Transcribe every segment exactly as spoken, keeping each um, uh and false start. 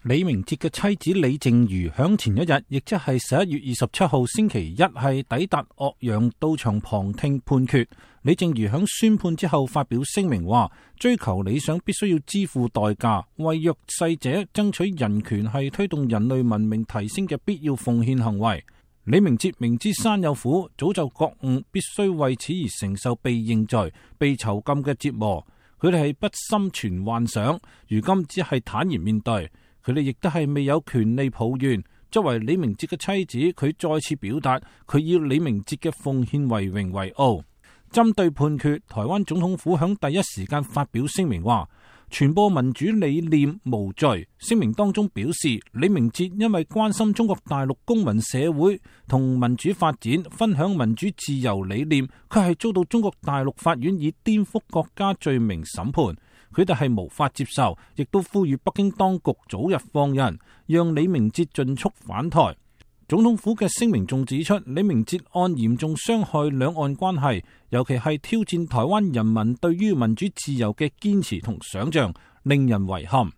李明哲嘅妻子李淨瑜響前一日，亦即係十一月二十七號星期一，係抵達岳陽到場旁聽判決。李淨瑜響宣判之後發表聲明話，追求理想必須要支付代價，為弱勢者爭取人權係推動人類文明提升嘅必要奉獻行為。李明哲明知山有虎，早就覺悟必須為此而承受被認罪、被囚禁嘅折磨。佢哋係不心存幻想，如今只係坦然面對。佢哋亦都係未有權利抱怨。作為李明哲嘅妻子，佢再次表達佢以李明哲嘅奉獻為榮為傲。針對判決，台灣總統府響第一時間發表聲明話，傳播民主理念無罪。聲明當中表示，李明哲因為關心中國大陸公民社會同民主發展，分享民主自由理念，佢係遭到中國大陸法院以顛覆國家罪名審判。佢哋係無法接受，亦都呼籲北京當局早日放人，讓李明哲盡速返台。總統府嘅聲明仲指出，李明哲案嚴重傷害兩岸關係，尤其係挑戰台灣人民對於民主自由嘅堅持同想象，令人遺憾。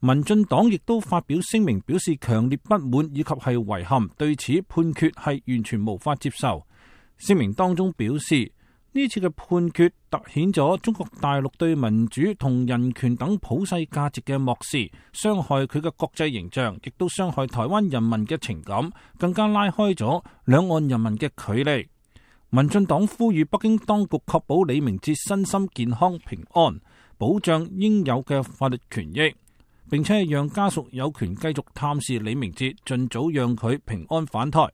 民進黨亦都發表聲明，表示強烈不滿以及係遺憾，對此判決係完全無法接受。聲明當中表示，呢次嘅判決凸顯咗中國大陸對民主同人權等普世價值嘅漠視，傷害佢嘅國際形象，亦都傷害台灣人民嘅情感，更加拉開咗兩岸人民嘅距離。民進黨呼籲北京當局確保李明哲身心健康平安，保障應有嘅法律權益，並且讓家屬有權繼續探視李明哲，盡早讓佢平安返台。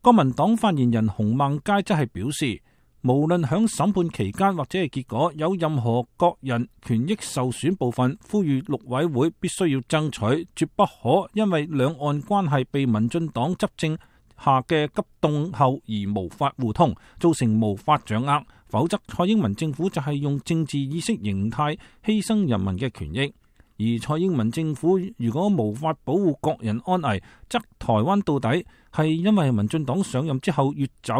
國民黨發言人洪孟佳則係表示，無論響審判期間或者係結果有任何個人權益受損部分，呼籲陸委會必須要爭取，絕不可因為兩岸關係被民進黨執政下嘅急凍後而無法互通，造成無法掌握，否則蔡英文政府就係用政治意識形態犧牲人民嘅權益。而蔡英文政府如果無法保護國人安危，則台灣到底係因為民進黨上任之後越走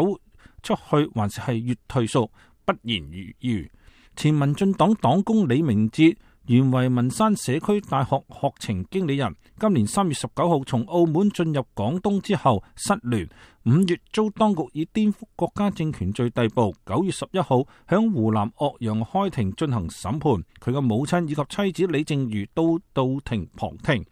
出去，還是係越退縮，不言而喻。前民進黨黨工李明哲原為文山社區大學學程經理人，今年三月十九號從澳門進入廣東之後失聯，五月遭當局以顛覆國家政權罪逮捕，九月十一號響湖南岳陽開庭進行審判，佢嘅母親以及妻子李淨瑜都到庭旁聽。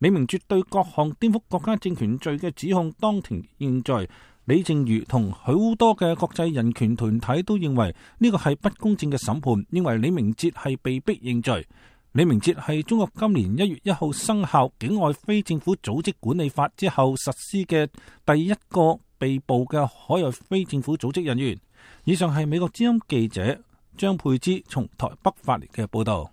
李明哲對各項顛覆國家政權罪嘅指控當庭認罪。李淨瑜同好多嘅國際人權團體都認為呢個係不公正嘅審判，認為李明哲係被逼認罪。李明哲係中國今年一月一號生效境外非政府組織管理法之後實施嘅第一個被捕嘅海外非政府組織人員。以上係美國之音記者張佩芝從台北發嚟嘅報道。